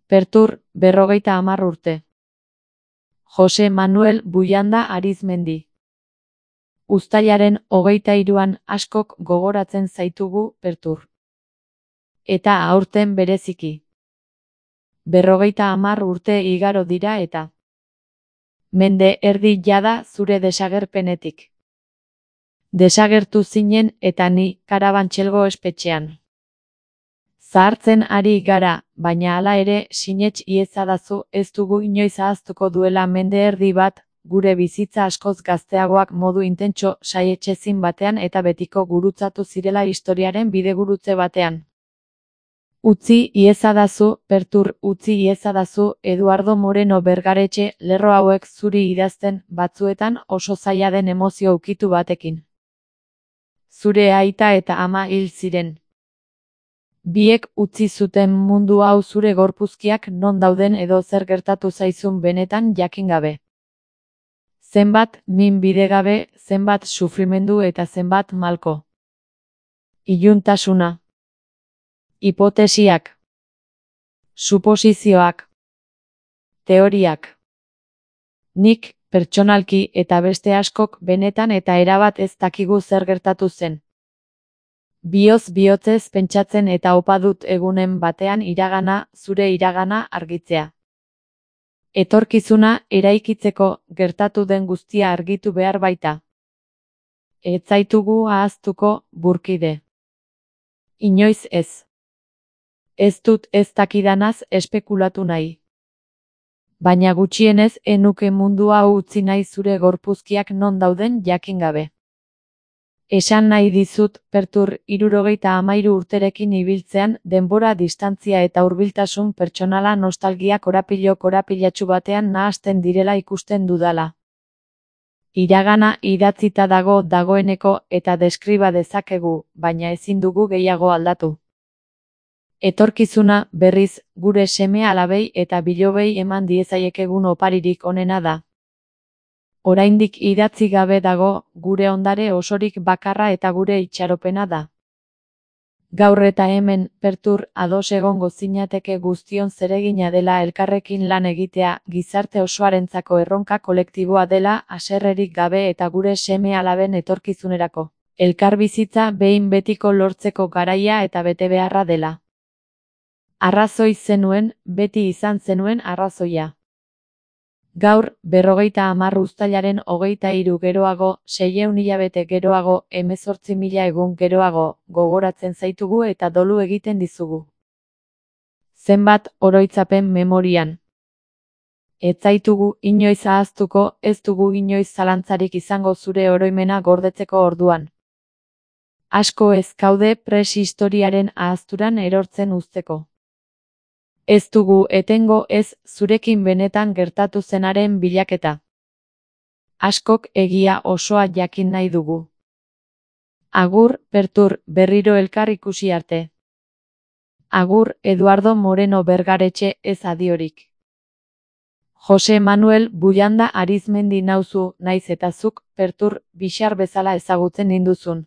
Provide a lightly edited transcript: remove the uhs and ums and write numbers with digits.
Pertur, 50 urte. Jose Manuel Buyanda Arizmendi. Uztailaren 23an askok gogoratzen zaitugu, Pertur. Eta aurten bereziki. 50 urte igaro dira eta. Mende erdi jada zure desagerpenetik. Desagertu zinen eta ni Karabantxelgo espetxean. Zahartzen ari gara, baina hala ere sinets iezadazu ez dugu inoiz ahaztuko duela mende erdi bat, gure bizitza askoz gazteagoak modu intentso saietsezin batean eta betiko gurutzatu zirela historiaren bidegurutze batean. Utzi iezadazu, Pertur, utzi iezadazu, Eduardo Moreno Bergaretxe, lerro hauek zuri idazten, batzuetan oso zaila den emozio ukitu batekin. Zure aita eta ama hil ziren. Biek utzi zuten mundu hau zure gorpuzkiak non dauden edo zer gertatu zaizun benetan jakin gabe. Zenbat min bidegabe, zenbat sufrimendu eta zenbat malko. Iluntasuna. Hipotesiak. Suposizioak. Teoriak. Nik, pertsonalki eta beste askok benetan eta erabat ez dakigu zer gertatu zen. Bioz bihotzez pentsatzen eta opa dut egunen batean iragana, zure iragana argitzea. Etorkizuna eraikitzeko gertatu den guztia argitu behar baita. Ez zaitugu ahaztuko, burkide. Inoiz ez. Ez dut ez dakidanaz espekulatu nahi. Baina gutxienez enuke mundua utzi nahi zure gorpuzkiak non dauden jakin gabe. Esan nahi dizut, Pertur, 73 urterekin ibiltzean, denbora, distantzia eta hurbiltasun pertsonala nostalgia korapilatsu batean nahasten direla ikusten dudala. Iragana idatzita dagoeneko eta deskriba dezakegu, baina ezin dugu gehiago aldatu. Etorkizuna, berriz, gure seme-alabei eta bilobei eman diezaiekegun oparirik onena da. Oraindik idatzi gabe dago, gure ondare osorik bakarra eta gure itxaropena da. Gaur eta hemen, Pertur, ados egongo zinateke guztion zeregina dela elkarrekin lan egitea, gizarte osoarentzako erronka kolektiboa dela, haserrerik gabe eta gure seme-alaben etorkizunerako. Elkarbizitza behin betiko lortzeko garaia eta betebeharra dela. Arrazoi zenuen, beti izan zenuen arrazoia. Gaur, 50 uztailaren 23 geroago, 600 hilabete geroago, 18.000 egun geroago, gogoratzen zaitugu eta dolu egiten dizugu. Zenbat oroitzapen memorian. Ez zaitugu inoiz ahaztuko, ez dugu inoiz zalantzarik izango zure oroimena gordetzeko orduan. Asko ez gaude preshistoriaren ahazturan erortzen uzteko. Ez dugu etengo ez zurekin benetan gertatu zenaren bilaketa. Askok egia osoa jakin nahi dugu. Agur, Pertur, berriro elkar ikusi arte. Agur, Eduardo Moreno Bergaretxe, ez adiorik. Jose Manuel Buyanda Arizmendi nauzu, naiz eta zuk, Pertur, bixar bezala ezagutzen ninduzun.